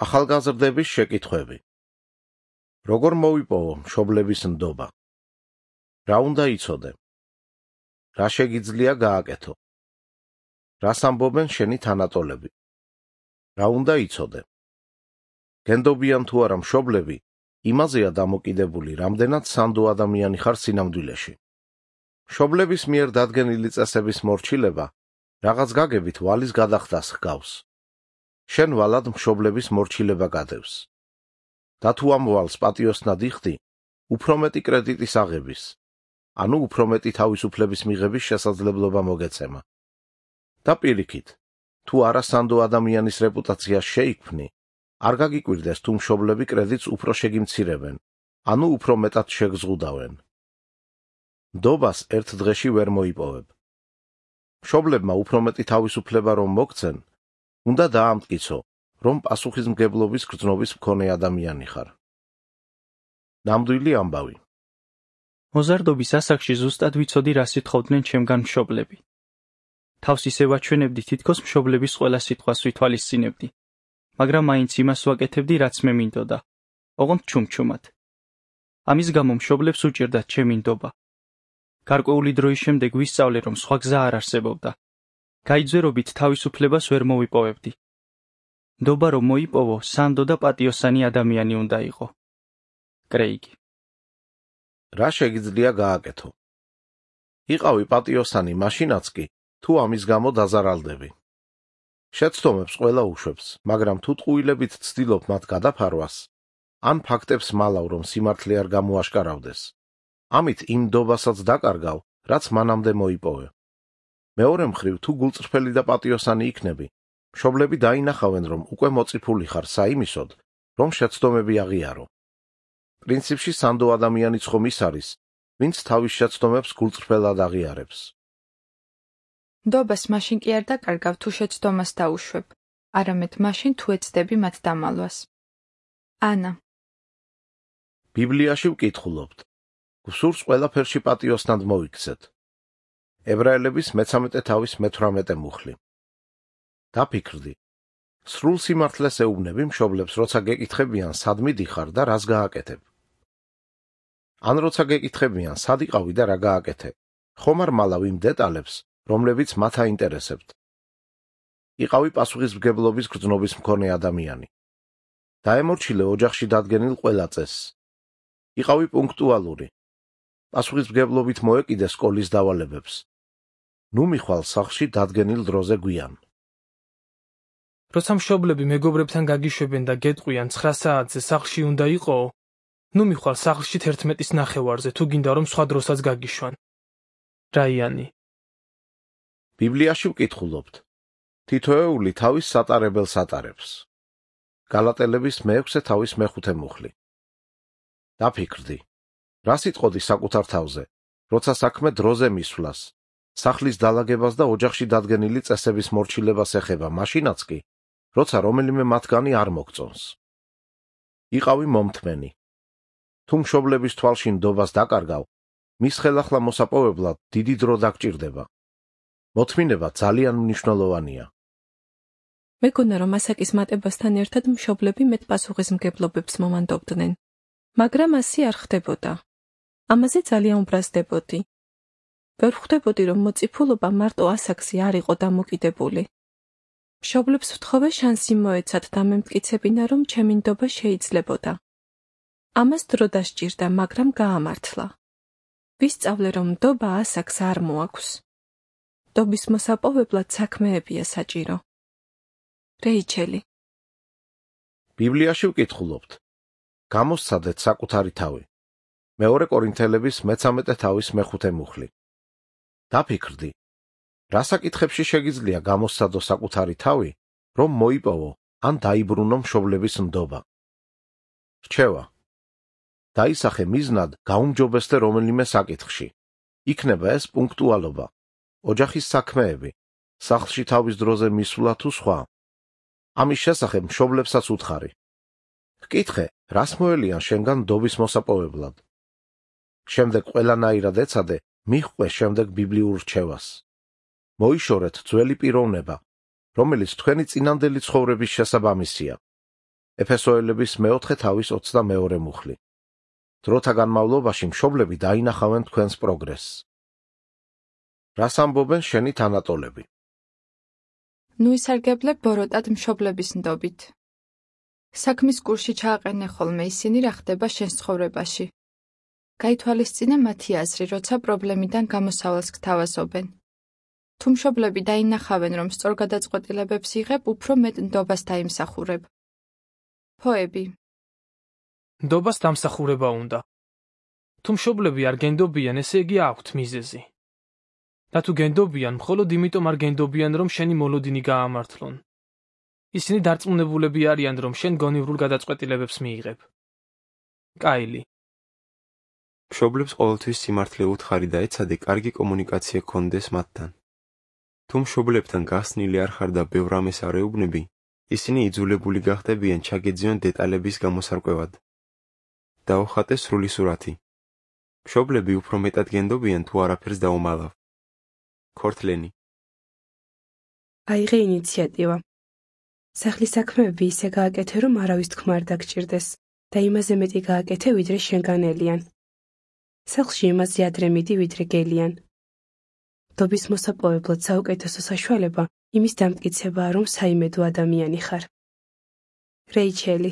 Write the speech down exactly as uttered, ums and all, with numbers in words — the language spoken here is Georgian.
ახალგაზრდების შეკითხვები. როგორ მოვიპოვო მშობლების ნდობა? რა უნდა იცოდე? რა შეგიძლია გააკეთო? რას ამბობენ შენი თანატოლები? რა უნდა იცოდე? გენდობიან თუ არა მშობლები, იმაზეა დამოკიდებული, რამდენად სანდო ადამიანი ხარ სინამდვილეში. მშობლების მიერ დადგენილი წესების მორჩილება რაღაც გაგებით ვალის გადახდას ჰგავს. შენ ვალად მშობლების მორჩილება გადევს. და თუ ამ ვალს პატიოსნად იხდი, უფრო მეტი კრედიტის აღების, ანუ უფრო მეტი თავისუფლების მიღების შესაძლებლობა მოგეცემა. და პირიქით, თუ არა სანდო ადამიანის რეპუტაციას შეიქმნი, არ გაგიკვირდეს თუ მშობლები კრედიტს უფრო შეგიმცირებენ, ანუ უფრო მეტად შეგზღუდავენ. ნდობას ერთ დღეში ვერ მოიპოვებ. მშობლებმა უფრო მეტი თავისუფლება რომ მოგცენ, უნდა დაამტკიცო, რომ პასუხისმგებლობის გრძნობის მქონე ადამიანი ხარ. ნამდვილი ამბავი. მოზარდობის ასაკში ზუსტად ვიცოდი, რა სიტყობდნენ ჩემგან მშობლები. თავს ისე ვაჩვენებდი, თითქოს მშობლების ყველა სიტყვას ვითვალისწინებდი, მაგრამ მაინც იმას ვაკეთებდი, რაც მე მინდოდა, ოღონდ ჩუმჩუმად. ამის გამო მშობლებს უჭირდათ ჩემი ნდობა. გარკვეული დროის შემდეგ ვისწავლე, რომ სხვა გზა არ არსებობდა. გაიძვერობით თავისუფლებას ვერ მოვიპოვებდი. ნდობა რომ მოიპოვო, სანდო და პატიოსანი ადამიანი უნდა იყო. კრეიგი. რა შეგიძლია გააკეთო? იყავი პატიოსანი მაშინაც კი, თუ ამის გამო დაზარალდები. შეცდომებს ყველა უშვებს, მაგრამ თუ ტყუილებით ცდილობ მათ გადაფარვას, ან ფაქტებს მალავ, რომ სიმართლე არ გამოაშკარავდეს, ამით იმ ნდობასაც დაკარგავ, რაც მანამდე მოიპოვე. მეორე მხრივ, თუ გულწრფელი და პატიოსანი იქნები, მშობლები დაინახავენ, რომ უკვე მოწიფული ხარ საიმისოდ, რომ შეცდომები აღიარო. პრინციპში სანდო ადამიანიც ხომ ის არის, ვინც თავის შეცდომებს გულწრფელად აღიარებს. ნდობას მაშინ კი არ დაკარგავ, თუ შეცდომას დაუშვებ, არამედ მაშინ თუ ეცდები მათ დამალვას. ანა. ბიბლიაში ვკითხულობთ. გსურს ყველაფერში პატიოსნად მოიქცეთ. ებრაელების მეცამეტე თავის მეთვრამეტე მუხლი. დაფიქრდი. სრულ სიმართლეს ეუბნები მშობლებს, როცა გეკითხებიან, სად მიდიხარ და რას გააკეთებ. ან როცა გეკითხებიან, სად იყავი და რა გააკეთე, ხომ არ მალავ იმ დეტალებს, რომლებიც მათ აინტერესებთ. იყავი პასუხისმგებლობის გრძნობის მქონე ადამიანი. დაემორჩილე ოჯახში დადგენილ ყველა წესს. იყავი პუნქტუალური. პასუხისმგებლობით მოეკიდე სკოლის დავალებებს. ნუ მიხვალ სახლში დადგენილ დროზე გვიან. როცა მშობლები მეგობრებთან გაგიშვებენ და გეტყვიან ცხრა საათზე სახლში უნდა იყო, ნუ მიხვალ სახლში თერთმეტის ნახევარზე, თუ გინდა რომ სხვა დროსაც გაგიშვან. რაიანი. ბიბლიაში ვკითხულობთ. თითოეული თავის სატარებელს ატარებს. გალატელების მეექვსე თავის მეხუთე მუხლი. დაფიქრდი. რა სიტყოდი საკუთარ თავზე, როცა საქმე დროზე მისვლას, სახლის დალაგებას და ოჯახში დადგენილი წესების მორჩილებას ეხება, მაშინაც კი, როცა რომელიმე მათგანი არ მოგწონს. იყავი მომთმენი. თუ მშობლების თვალში ნდობას დაკარგავ, მის ხელახლა მოსაპოვებლად დიდი დრო დაგჭირდება. მოთმინება ძალიან მნიშვნელოვანია. მეგონა, რომ ასაკის მატებასთან ერთად მშობლები მეტ პასუხისმგებლობებს მომანდობდნენ, მაგრამ ასე არ ხდებოდა. ამაზე ძალიან უბრაზდებოდი. ვერ ხვდებოდი, რომ მოწიფულობა მარტო ასაკზე არ იყო დამოკიდებული. მშობლებს ვთხოვე შანსი მოეცათ და მემტკიცებინა, რომ ჩემი ნდობა შეიძლებოდა. ამას დრო დასჭირდა, მაგრამ გაამართლა. ვისწავლე, რომ ნდობა ასაკს არ მოაქვს. ნდობის მოსაპოვებლად საქმეებია საჭირო. რეიჩელი. ბიბლიაში ვკითხულობთ. გამოსცადეთ საკუთარი თავი. მეორე კორინთელების მეცამეტე თავის მეხუთე მუხლი. დაფიქრდი. რა საკითხებში შეგიძლია გამოსცადო საკუთარი თავი, რომ მოიპოვო ან დაიბრუნო მშობლების ნდობა? რჩევა. დაისახე მიზნად გაუმჯობესდე რომელიმე საკითხში. იქნება ეს პუნქტუალობა, ოჯახის საქმეები, სახლში თავის დროზე მისვლა თუ სხვა. ამის შესახებ მშობლებსაც უთხარი. ჰკითხე, რას მოელიან შენგან ნდობის მოსაპოვებლად. შემდეგ ყველანაირად ეცადე, მიჰყვე შემდეგ ბიბლიურ რჩევას. მოიშორეთ ძველი პიროვნება, რომელიც თქვენი წინანდელი ცხოვრების შესაბამისია. ეფესოელების მეოთხე თავის ოცდამეორე მუხლი. დროთა განმავლობაში მშობლები დაინახავენ თქვენს პროგრესს. რას ამბობენ შენი თანატოლები? ნუ ისარგებლე ბოროტად მშობლების ნდობით. საქმის კურსში ჩააყენე ხოლმე ისინი რა ხდება შენს ცხოვრებაში. გაითვალისწინე მათი აზრი, როცა პრობლემიდან გამოსავალს გთავაზობენ. თუ მშობლები დაინახავენ, რომ სწორგადაწყვეტილებებს იღებ, უფრო მეტ ნდობას დაიმსახურებ. ფოები. ნდობას დამსახურება უნდა. თუ მშობლები არ გენდობიან, ესე იგი აქვთ მიზეზი. და თუ გენდობიან, მხოლოდ იმიტომ არ გენდობიან, რომ შენი მოლოდინი გაამართლონ. ისინი დარწმუნებულები არიან, რომ შენ გონივრულ გადაწყვეტილებებს მიიღებ. კაილი. მშობლებს ყოველთვის სიმართლე უთხარი და ეცადე კარგი კომუნიკაცია გქონდეს მათთან. თუ მშობლებთან გახსნილი არ ხარ და ბევრ რამეს არ ეუბნები, ისინი იძულებული გახდებიან ჩაგეძიონ დეტალების გამოსარკვევად. დაუხატე სრული სურათი. მშობლები უფრო მეტად გენდობიან თუ არაფერს დაუმალავ. ქორთლენი. აიღე ინიციატივა. სახლის საქმეები ისე გააკეთე, რომ არავის თქმა არ დაგჭირდეს და იმაზე მეტი გააკეთე, ვიდრე შენგანელიან. სახლში იმაზე ადრე მიდი, ვიდრე გელიან. ნდობის მოსაპოვებლად საუკეთესო საშუალება იმის დამტკიცებაა, რომ საიმედო ადამიანი ხარ. რეიჩელი.